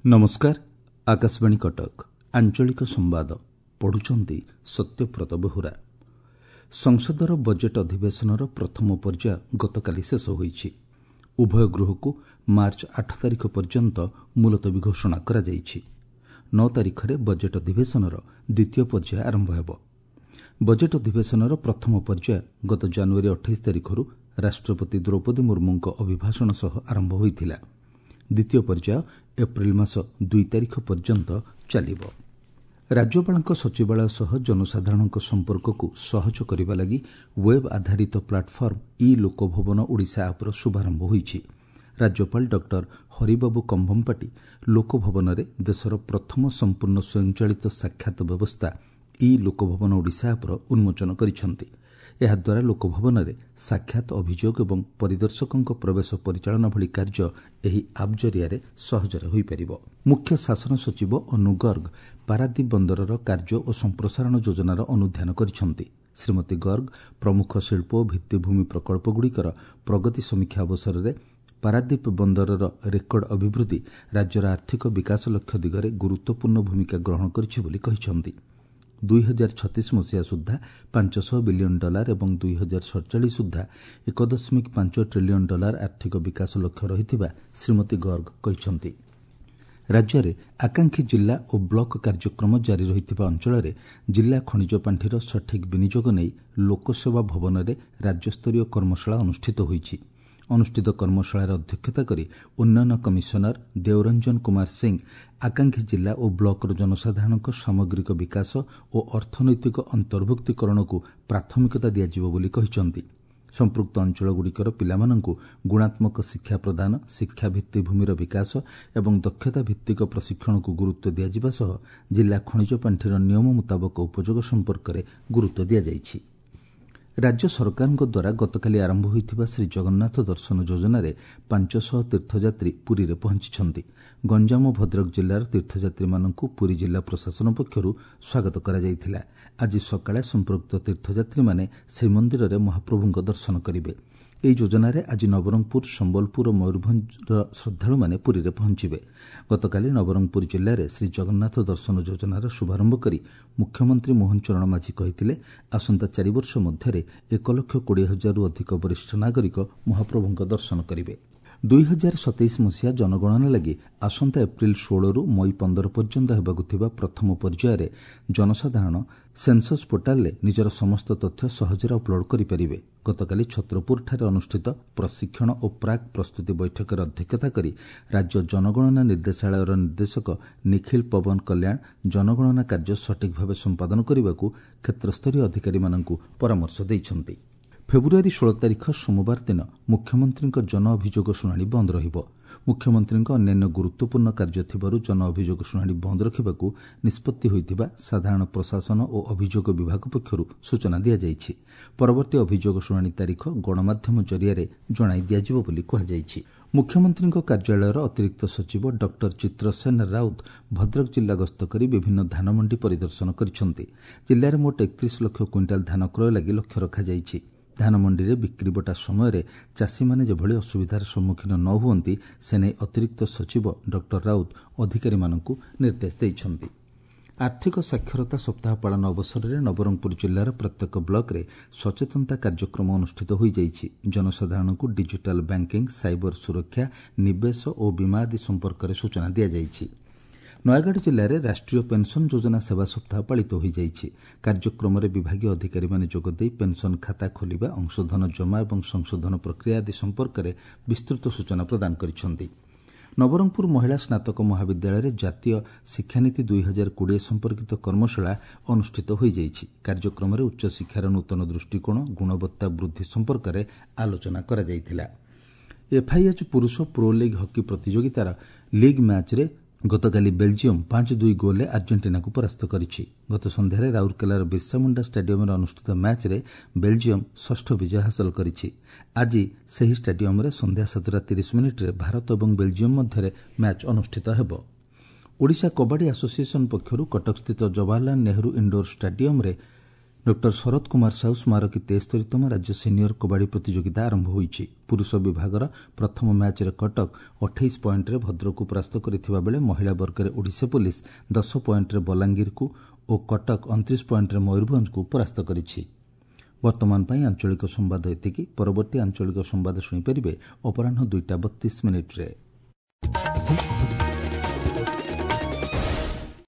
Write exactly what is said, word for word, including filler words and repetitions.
ନମସ୍କାର ଆକାଶବାଣୀ କଟକ ଆଞ୍ଚଳିକ ସମ୍ବାଦ ପଢୁଛନ୍ତି ସତ୍ୟବ୍ରତ ବେହୁରା ସଂସଦର ବଜେଟ୍ ଅଧିବେଶନର ପ୍ରଥମ ପର୍ଯ୍ୟାୟ ଗତକାଲି ଶେଷ ହୋଇଛି ଉଭୟ ଗୃହକୁ ମାର୍ଚ୍ଚ ଆଠ ତାରିଖ ପର୍ଯ୍ୟନ୍ତ ମୁଲତବୀ ଘୋଷଣା କରାଯାଇଛି ନଅ ତାରିଖରେ ବଜେଟ୍ ଅଧିବେଶନର ଦ୍ୱିତୀୟ ପର୍ଯ୍ୟାୟ ଆରମ୍ଭ ହେବ ବଜେଟ୍ ଅଧିବେଶନର ପ୍ରଥମ ପର୍ଯ୍ୟାୟ ଗତ ଜାନୁଆରୀ ଅଠାଇଶ ତାରିଖରୁ ରାଷ୍ଟ୍ରପତି ଦ୍ରୌପଦୀ ମୁର୍ମୁଙ୍କ ଅଭିଭାଷଣ ସହ ଆରମ୍ଭ ହୋଇଥିଲା ଦ୍ୱିତୀୟ ପର୍ଯ୍ୟାୟ ଏପ୍ରିଲ ମାସ ଦୁଇ ତାରିଖ ପର୍ଯ୍ୟନ୍ତ ଚାଲିବ ରାଜ୍ୟପାଳଙ୍କ ସଚିବାଳୟ ସହ ଜନସାଧାରଣଙ୍କ ସମ୍ପର୍କକୁ ସହଜ କରିବା ଲାଗି ୱେବ୍ ଆଧାରିତ ପ୍ଲାଟଫର୍ମ ଇ ଲୋକଭବନ ଓଡ଼ିଶା ଆପ୍ର ଶୁଭାରମ୍ଭ ହୋଇଛି ରାଜ୍ୟପାଳ ଡକ୍ଟର ହରିବାବୁ କମ୍ଭମପାଟି ଲୋକଭବନରେ ଦେଶର ପ୍ରଥମ ସମ୍ପୂର୍ଣ୍ଣ ସ୍ୱୟଂଚାଳିତ ସାକ୍ଷାତ ବ୍ୟବସ୍ଥା ଇ ଲୋକଭବନ ଓଡ଼ିଶା ଆପ୍ର ଉନ୍ମୋଚନ କରିଛନ୍ତି ଏହାଦ୍ୱାରା ଲୋକଭବନରେ ସାକ୍ଷାତ ଅଭିଯୋଗ ଏବଂ ପରିଦର୍ଶକଙ୍କ ପ୍ରବେଶ ପରିଚାଳନା ଭଳି କାର୍ଯ୍ୟ ଏହି ଆପ୍ ଜରିଆରେ ସହଜରେ ହୋଇପାରିବ ମୁଖ୍ୟ ଶାସନ ସଚିବ ଅନୁ ଗର୍ଗ ପାରାଦୀପ ବନ୍ଦରର କାର୍ଯ୍ୟ ଓ ସମ୍ପ୍ରସାରଣ ଯୋଜନାର ଅନୁଧ୍ୟାନ କରିଛନ୍ତି ଶ୍ରୀମତୀ ଗର୍ଗ ପ୍ରମୁଖ ଶିଳ୍ପ ଓ ଭିତ୍ତିଭୂମି ପ୍ରକଳ୍ପଗୁଡ଼ିକର ପ୍ରଗତି ସମୀକ୍ଷା ଅବସରରେ ପାରାଦୀପ ବନ୍ଦରର ରେକର୍ଡ ଅଭିବୃଦ୍ଧି ରାଜ୍ୟର ଆର୍ଥିକ ବିକାଶ ଲକ୍ଷ୍ୟ ଦିଗରେ ଗୁରୁତ୍ୱପୂର୍ଣ୍ଣ ଭୂମିକା ଗ୍ରହଣ କରିଛି ବୋଲି କହିଛନ୍ତି ଦୁଇ ହଜାର ଛତିଶ ମସିହା ସୁଦ୍ଧା ପାଞ୍ଚଶହ ବିଲିୟନ ଡଲାର ଏବଂ ଦୁଇ ହଜାର ସଡ଼ଚାଳିଶ ସୁଦ୍ଧା ଏକ ଦଶମିକ ପାଞ୍ଚ ଟ୍ରିଲିୟନ ଡଲାର ଆର୍ଥିକ ବିକାଶ ଲକ୍ଷ୍ୟ ରହିଥିବା ଶ୍ରୀମତୀ ଗର୍ଗ କହିଛନ୍ତି ରାଜ୍ୟରେ ଆକାଂକ୍ଷୀ ଜିଲ୍ଲା ଓ ବ୍ଲକ କାର୍ଯ୍ୟକ୍ରମ ଜାରି ରହିଥିବା ଅଞ୍ଚଳରେ ଜିଲ୍ଲା ଖଣିଜ ପାଣ୍ଠିର ସଠିକ୍ ବିନିଯୋଗ ନେଇ ଲୋକସେବା ଭବନରେ ରାଜ୍ୟସ୍ତରୀୟ କର୍ମଶାଳା ଅନୁଷ୍ଠିତ ହୋଇଛି ଅନୁଷ୍ଠିତ କର୍ମଶାଳାରେ ଅଧ୍ୟକ୍ଷତା କରି ଉନ୍ନୟନ କମିଶନର ଦେଓରଞ୍ଜନ କୁମାର ସିଂ ଆକାଂକ୍ଷୀ ଜିଲ୍ଲା ଓ ବ୍ଲକର ଜନସାଧାରଣଙ୍କ ସାମଗ୍ରିକ ବିକାଶ ଓ ଅର୍ଥନୈତିକ ଅନ୍ତର୍ଭୁକ୍ତୀକରଣକୁ ପ୍ରାଥମିକତା ଦିଆଯିବ ବୋଲି କହିଛନ୍ତି ସମ୍ପୃକ୍ତ ଅଞ୍ଚଳଗୁଡ଼ିକର ପିଲାମାନଙ୍କୁ ଗୁଣାତ୍ମକ ଶିକ୍ଷା ପ୍ରଦାନ ଶିକ୍ଷା ଭିତ୍ତିଭୂମିର ବିକାଶ ଏବଂ ଦକ୍ଷତା ଭିତ୍ତିକ ପ୍ରଶିକ୍ଷଣକୁ ଗୁରୁତ୍ୱ ଦିଆଯିବା ସହ ଜିଲ୍ଲା ଖଣିଜ ପାଣ୍ଠିର ନିୟମ ମୁତାବକ ଉପଯୋଗ ସମ୍ପର୍କରେ ଗୁରୁତ୍ୱ ଦିଆଯାଇଛି ରାଜ୍ୟ ସରକାରଙ୍କ ଦ୍ୱାରା ଗତକାଲି ଆରମ୍ଭ ହୋଇଥିବା ଶ୍ରୀ ଜଗନ୍ନାଥ ଦର୍ଶନ ଯୋଜନାରେ ପାଞ୍ଚଶହ ତୀର୍ଥଯାତ୍ରୀ ପୁରୀରେ ପହଞ୍ଚିଛନ୍ତି ଗଞ୍ଜାମ ଓ ଭଦ୍ରକ ଜିଲ୍ଲାର ତୀର୍ଥଯାତ୍ରୀମାନଙ୍କୁ ପୁରୀ ଜିଲ୍ଲା ପ୍ରଶାସନ ପକ୍ଷରୁ ସ୍ୱାଗତ କରାଯାଇଥିଲା ଆଜି ସକାଳେ ସମ୍ପୃକ୍ତ ତୀର୍ଥଯାତ୍ରୀମାନେ ଶ୍ରୀମନ୍ଦିରରେ ମହାପ୍ରଭୁଙ୍କ ଦର୍ଶନ କରିବେ ଏହି ଯୋଜନାରେ ଆଜି ନବରଙ୍ଗପୁର ସମ୍ବଲପୁର ଓ ମୟୂରଭଞ୍ଜର ଶ୍ରଦ୍ଧାଳୁମାନେ ପୁରୀରେ ପହଞ୍ଚିବେ ଗତକାଲି ନବରଙ୍ଗପୁର ଜିଲ୍ଲାରେ ଶ୍ରୀ ଜଗନ୍ନାଥ ଦର୍ଶନ ଯୋଜନାର ଶୁଭାରମ୍ଭ କରି ମୁଖ୍ୟମନ୍ତ୍ରୀ ମୋହନ ଚରଣ ମାଝୀ କହିଥିଲେ ଆସନ୍ତା ଚାରିବର୍ଷ ମଧ୍ୟରେ ଏକ ଲକ୍ଷ କୋଡ଼ିଏ ହଜାରରୁ ଅଧିକ ବରିଷ୍ଠ ନାଗରିକ ମହାପ୍ରଭୁଙ୍କ ଦର୍ଶନ କରିବେ ଦୁଇ ହଜାର ସତେଇଶ ମସିହା ଜନଗଣନା ଲାଗି ଆସନ୍ତା ଏପ୍ରିଲ ଷୋହଳରୁ ମଇ ପନ୍ଦର ପର୍ଯ୍ୟନ୍ତ ହେବାକୁ ଥିବା ପ୍ରଥମ ପର୍ଯ୍ୟାୟରେ ଜନସାଧାରଣ ସେନ୍ସସ୍ ପୋର୍ଟାଲରେ ନିଜର ସମସ୍ତ ତଥ୍ୟ ସହଜରେ ଅପଲୋଡ୍ କରିପାରିବେ ଗତକାଲି ଛତ୍ରପୁରଠାରେ ଅନୁଷ୍ଠିତ ପ୍ରଶିକ୍ଷଣ ଓ ପ୍ରାକ୍ ପ୍ରସ୍ତୁତି ବୈଠକରେ ଅଧ୍ୟକ୍ଷତା କରି ରାଜ୍ୟ ଜନଗଣନା ନିର୍ଦ୍ଦେଶାଳୟର ନିର୍ଦ୍ଦେଶକ ନିଖିଳ ପବନ କଲ୍ୟାଣ ଜନଗଣନା କାର୍ଯ୍ୟ ସଠିକ୍ ଭାବେ ସମ୍ପାଦନ କରିବାକୁ କ୍ଷେତ୍ରସ୍ତରୀୟ ଅଧିକାରୀମାନଙ୍କୁ ପରାମର୍ଶ ଦେଇଛନ୍ତି ଫେବୃଆରୀ ଷୋହଳ ତାରିଖ ସୋମବାର ଦିନ ମୁଖ୍ୟମନ୍ତ୍ରୀଙ୍କ ଜନ ଅଭିଯୋଗ ଶୁଣାଣି ବନ୍ଦ ରହିବ ମୁଖ୍ୟମନ୍ତ୍ରୀଙ୍କ ଅନ୍ୟାନ୍ୟ ଗୁରୁତ୍ୱପୂର୍ଣ୍ଣ କାର୍ଯ୍ୟ ଥିବାରୁ ଜନ ଅଭିଯୋଗ ଶୁଣାଣି ବନ୍ଦ ରଖିବାକୁ ନିଷ୍ପତ୍ତି ହୋଇଥିବା ସାଧାରଣ ପ୍ରଶାସନ ଓ ଅଭିଯୋଗ ବିଭାଗ ପକ୍ଷରୁ ସୂଚନା ଦିଆଯାଇଛି ପରବର୍ତ୍ତୀ ଅଭିଯୋଗ ଶୁଣାଣି ତାରିଖ ଗଣମାଧ୍ୟମ ଜରିଆରେ ଜଣାଇ ଦିଆଯିବ ବୋଲି କୁହାଯାଇଛି ମୁଖ୍ୟମନ୍ତ୍ରୀଙ୍କ କାର୍ଯ୍ୟାଳୟର ଅତିରିକ୍ତ ସଚିବ ଡକ୍ଟର ଚିତ୍ରସେନ ରାଉତ ଭଦ୍ରକ ଜିଲ୍ଲା ଗସ୍ତ କରି ବିଭିନ୍ନ ଧାନମଣ୍ଡି ପରିଦର୍ଶନ କରିଛନ୍ତି ଜିଲ୍ଲାରେ ମୋଟ ଏକତିରିଶ ଲକ୍ଷ କୁଇଣ୍ଟାଲ ଧାନ କ୍ରୟ ଲାଗି ଲକ୍ଷ୍ୟ ରଖାଯାଇଛି ଧାନମଣ୍ଡିରେ ବିକ୍ରିବଟା ସମୟରେ ଚାଷୀମାନେ ଯେଭଳି ଅସୁବିଧାର ସମ୍ମୁଖୀନ ନ ହୁଅନ୍ତି ସେନେଇ ଅତିରିକ୍ତ ସଚିବ ଡକ୍ଟର ରାଉତ ଅଧିକାରୀମାନଙ୍କୁ ନିର୍ଦ୍ଦେଶ ଦେଇଛନ୍ତି ଆର୍ଥିକ ସାକ୍ଷରତା ସପ୍ତାହ ପାଳନ ଅବସରରେ ନବରଙ୍ଗପୁର ଜିଲ୍ଲାର ପ୍ରତ୍ୟେକ ବ୍ଲକରେ ସଚେତନତା କାର୍ଯ୍ୟକ୍ରମ ଅନୁଷ୍ଠିତ ହୋଇଯାଇଛି ଜନସାଧାରଣଙ୍କୁ ଡିଜିଟାଲ ବ୍ୟାଙ୍କିଂ ସାଇବର ସୁରକ୍ଷା ନିବେଶ ଓ ବୀମା ଆଦି ସମ୍ପର୍କରେ ସୂଚନା ଦିଆଯାଇଛି ନୟାଗଡ଼ ଜିଲ୍ଲାରେ ରାଷ୍ଟ୍ରୀୟ ପେନ୍ସନ୍ ଯୋଜନା ସେବା ସପ୍ତାହ ପାଳିତ ହୋଇଯାଇଛି କାର୍ଯ୍ୟକ୍ରମରେ ବିଭାଗୀୟ ଅଧିକାରୀମାନେ ଯୋଗଦେଇ ପେନ୍ସନ୍ ଖାତା ଖୋଲିବା ଅଂଶଧନ ଜମା ଏବଂ ସଂଶୋଧନ ପ୍ରକ୍ରିୟା ଆଦି ସମ୍ପର୍କରେ ବିସ୍ତୃତ ସୂଚନା ପ୍ରଦାନ କରିଛନ୍ତି ନବରଙ୍ଗପୁର ମହିଳା ସ୍ନାତକ ମହାବିଦ୍ୟାଳୟରେ ଜାତୀୟ ଶିକ୍ଷାନୀତି ଦୁଇ ହଜାର କୋଡ଼ିଏ ସମ୍ପର୍କିତ କର୍ମଶାଳା ଅନୁଷ୍ଠିତ ହୋଇଯାଇଛି କାର୍ଯ୍ୟକ୍ରମରେ ଉଚ୍ଚଶିକ୍ଷାର ନୂତନ ଦୃଷ୍ଟିକୋଣ ଗୁଣବତ୍ତା ବୃଦ୍ଧି ସମ୍ପର୍କରେ ଆଲୋଚନା କରାଯାଇଥିଲା ଏଫ୍ଆଇଏଚ୍ ପୁରୁଷ ପ୍ରୋ ଲିଗ୍ ହକି ପ୍ରତିଯୋଗିତାର ଲିଗ୍ ମ୍ୟାଚ୍ରେ ଗତକାଲି ବେଲ୍ଜିୟମ୍ ପାଞ୍ଚ ଦୁଇ ଗୋଲ୍ରେ ଆର୍ଜେଣ୍ଟିନାକୁ ପରାସ୍ତ କରିଛି ଗତ ସନ୍ଧ୍ୟାରେ ରାଉରକେଲାର ବିର୍ସାମୁଣ୍ଡା ଷ୍ଟାଡିୟମ୍ରେ ଅନୁଷ୍ଠିତ ମ୍ୟାଚ୍ରେ ବେଲ୍ଜିୟମ୍ ଷଷ୍ଠ ବିଜୟ ହାସଲ କରିଛି ଆଜି ସେହି ଷ୍ଟାଡିୟମ୍ରେ ସନ୍ଧ୍ୟା ସାତଟା ତିରିଶ ମିନିଟ୍ରେ ଭାରତ ଏବଂ ବେଲ୍ଜିୟମ୍ ମଧ୍ୟରେ ମ୍ୟାଚ୍ ଅନୁଷ୍ଠିତ ହେବ ଓଡ଼ିଶା କବାଡି ଆସୋସିଏସନ୍ ପକ୍ଷରୁ କଟକସ୍ଥିତ ଜବାହରଲାଲ ନେହେରୁ ଇଣ୍ଡୋର ଷ୍ଟାଡିୟମ୍ରେ ଡକ୍ଟର ଶରତ କୁମାର ସାହୁ ସ୍ମାରକୀ ତେସ୍ତରୀତମ ରାଜ୍ୟ ସିନିୟର କବାଡ଼ି ପ୍ରତିଯୋଗିତା ଆରମ୍ଭ ହୋଇଛି। ପୁରୁଷ ବିଭାଗର ପ୍ରଥମ ମ୍ୟାଚ୍ରେ କଟକ ଅଠେଇଶ ପଏଣ୍ଟରେ ଭଦ୍ରକକୁ ପରାସ୍ତ କରିଥିବା ବେଳେ ମହିଳା ବର୍ଗରେ ଓଡ଼ିଶା ପୋଲିସ ଦଶ ପଏଣ୍ଟରେ ବଲାଙ୍ଗୀରକୁ ଓ କଟକ ଅଣତିରିଶ ପଏଣ୍ଟରେ ମୟୂରଭଞ୍ଜକୁ ପରାସ୍ତ କରିଛି। ବର୍ତ୍ତମାନ ପାଇଁ ଆଞ୍ଚଳିକ ସମ୍ବାଦ ଏତିକି। ପରବର୍ତ୍ତୀ ଆଞ୍ଚଳିକ ସମ୍ବାଦ ଶୁଣିପାରିବେ ଅପରାହ୍ନ ଦୁଇଟା ବତିଶ ମିନିଟ୍ରେ।